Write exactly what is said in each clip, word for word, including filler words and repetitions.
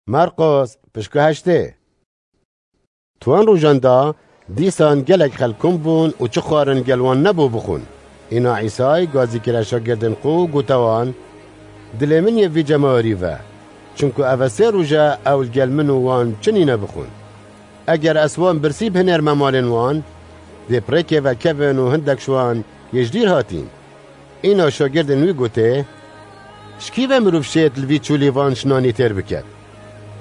Marqos, pişka heştê. Tuwan rojan da, dîsan gelek xelk kom bûn û çi xwarin gel wan nebû bixwin. Îna Îsay gazî kire şagirdên xwe û gote wan, Dilê min yê vî cemawerî ve, çunku ev e sê roj e ew li gel min û wan çi nîne bixwin. Eger ez wan birsî bihinêrme malên wan, dê pirêkê vekevin û hindek ji wan yê ji dîr hatîn. Îna şagirdên wî gotê, Ji kî ve mirov şêt li vî çolî van ji nanî têr biket?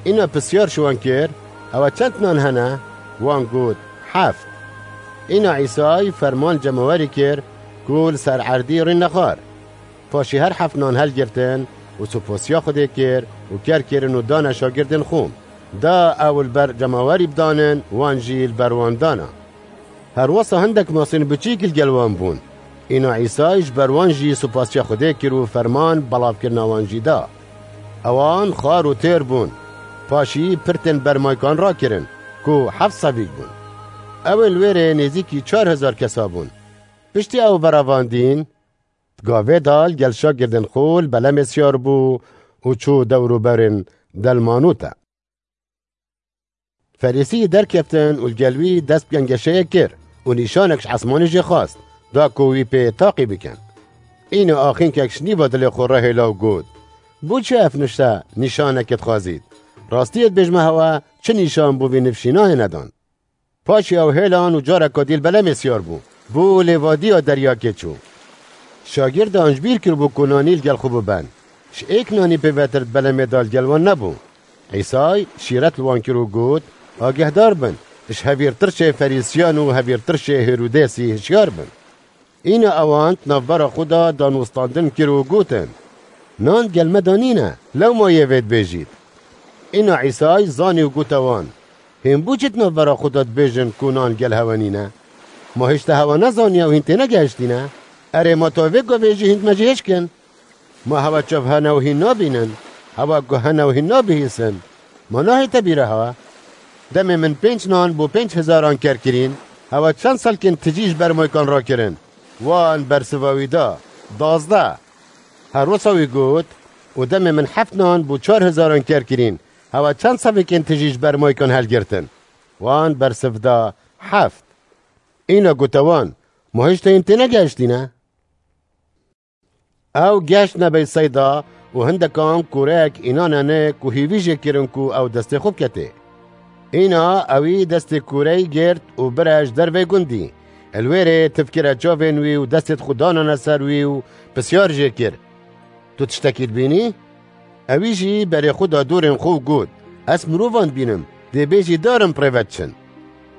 Îna pisyar ji wan kir, Ewa çend nan hene? Wan got, Heft. Îna Îsay ferman cemawerî kir ku li ser erdî rîne xwar. Paşî her heft nan helgirtin û supasiya Xwedê kir û ker kirin û dane şagirdên xwe. Da ew li ber cemawerî bidanin, wan jî li ber wan dana. Her wisa hindek masên biçîk li gel wan bûn. Îna Îsay ji ber wan jî supasiya Xwedê kir û ferman belavkirina wan jî da. Ewan xwar û têr bûn. Paşî pirtên bermaykan rakirin ku heft sevîk bûn. Ew ê li wê rê nêzîkî çar hezar kesa bûn. Piştî ew berevandîn, di gavê de li gel şagirdên xwe li belemê siyar bû û çû dewrûberên Delmanûte. Ferîsî derkeftin û li gel wî dest bi gengeşeyê kir û nîşanek ji esmanê jê xwest, da ku wî pê taqî bikin. Îna axînkek ji nîva dilê xwe re hêla û got, Bo çi ev nişte nîşanekê dixwazît? Rastiyê dibêjime hewe çi nîşan bo vî nifşî nayê nedan? Paşî ew hêlan û careka dî li belemê siyar bû. Bû lêvadiya deryakê çû. Şagirdan ji bîr kiribû ku nanî li gel xwe biben. Ji êk nanî pêvetir di belemê de li gel wan nebû. Îsay şîret li wan kir û got, Agehdar bin, ji hevîrtirşê Ferîsiyan û hevîrtirşê Hêrodesî hişyar bin. Îna ewan di navbera xwe de danûstandin kir û gotin, Nan gel me de nîne, lewma yê vê dibêjît. Îna Îsay zanî û gote wan, Hîn bo çi di navbera xwe de dibêjin ku nan gel hewe nîne? Ma hêj te hewe nezaniye û hîn tênegehiştîne? Erê, ma to vê gavê jî hîn me jê hêj kin? Ma hewe çav hene û hîn nabînin? Hewe guh hene û hîn nabihîsin? Ma nahête bîra hewe? Demê min pênc nan bo pênc hezaran ker kirîn, hewe çend selkên tijî ji bermaykan rakirin? Wan bersiva wî da, Dazdeh. Her wisa wî got, Û demê min heft nan bo çar hezaran ker kirîn, hewe çend sevêkên tijî ji bermaykan helgirtin? Wan bersiv da, Heft. Îna gote wan, Ma hêj te hîn tênegehiştîne? Ew geştine Beyseyda û hindekan kûreyek înanene ku hîvî jê kirin ku ew destê xwe biketê. Îna ewî destê kûreyî girt û bire ji dervê gundî. Li wê rê tiv kire çavên wî û destê xwe danane ser wî û pisyar jê kir, Tu tiştekî dibînî? Ewî jî berê xwe da dorên xwe û got, Ez mirovan dibînim, dê bêjî darin bi rê ve diçin.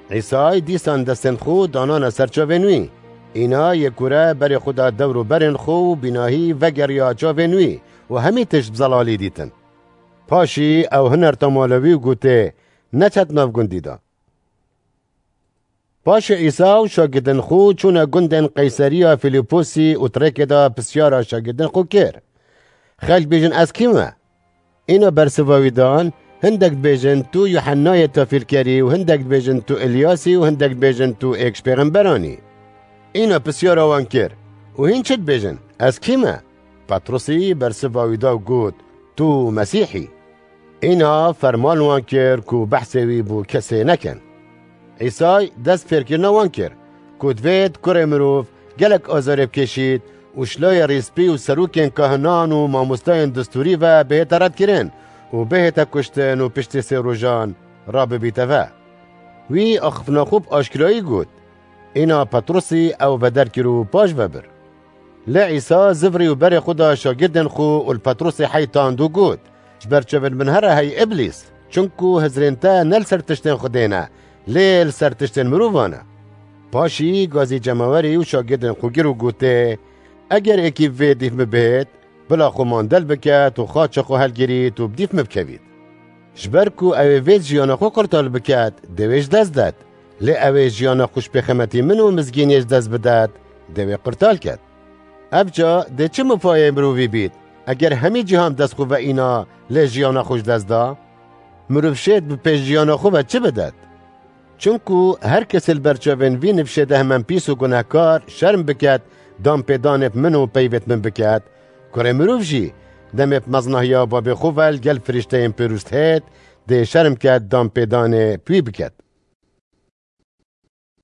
Îsay dîsan destên xwe danane ser çavên wî. Îna yê kûre berê xwe da dewr û berên xwe û bînahî vegeriya çavên wî û hemî tişt bi zelalî dîtin. Paşî ew hinerta mala wî û gotê, Neçe di nav gundî de. Paşê Îsa û şagirdên xwe çûne gundên Qeyseriya Fîlîposî û di rêkê de pisyara şagirdên xwe kir, Xelk bêjin ez kî me? Îna bersiva wî dan, Hindek dibêjin tu Yuhennayê Tafîrkerî û hindek dibêjin tu Îlyasî û hindek dibêjin tu êk ji pêxemberan î. Îna pisyara wan kir, Û hîn çi dibêjin? Ez kî me? Petrusî bersiva wî da û got, Tu Mesîh î. Îna ferman wan kir ku behsê wî bo kesê nekin. Îsay dest fêrkirina wan kir ku divêt kurê mirov gelek azarê bikêşît û ji layê rîspî û serokên kahinan û mamostayên distûrî ve bihête redkirin û bihête kuştin û piştî sê rojan rabibîte ve. Wî axiftina xwe bi aşkirayî got. Îna Petrusî ew veder kir û paş ve bir. Lê Îsa zivirî û berê xwe da şagirdên xwe û li Petrusê heytand û got, Ji ber çavên min here hey Îblîs, çunku hizrên te ne li ser tiştên Xwedê ne, lê li ser tiştên mirovan e. Paşî gazî cemawerî û şagirdên xwe kir û gotê, Eger êkî bi vê dîf min bihêt, bila xwe mandel biket û xaça xwe helgirît û bi dîf min bikevît. Ji ber ku ew ê vê jiyana xwe qurtal biket, dê wê ji dest det. Lê ew ê jiyana xwe ji pêxemetî min û mizgîniyê ji dest bidet, dê wê qurtal ket. Ev ca dê çi mifayê mirovî bît, eger hemî cîhan bi dest xwe ve îna, lê jiyana xwe ji dest da? Mirov şêt bi pêş jiyana xwe ve çi bidet? Çunku her kesê li ber çavên vî nifşê de hemen pîs û gunehkar şerm biket, danpêdanê bi min û peyvêt min biket, kurê mirov jî Demê bi meznahiya babê xwe ve li gel firîşteyên pêrûst hêt, dê şerm ket danpêdanê pî biket.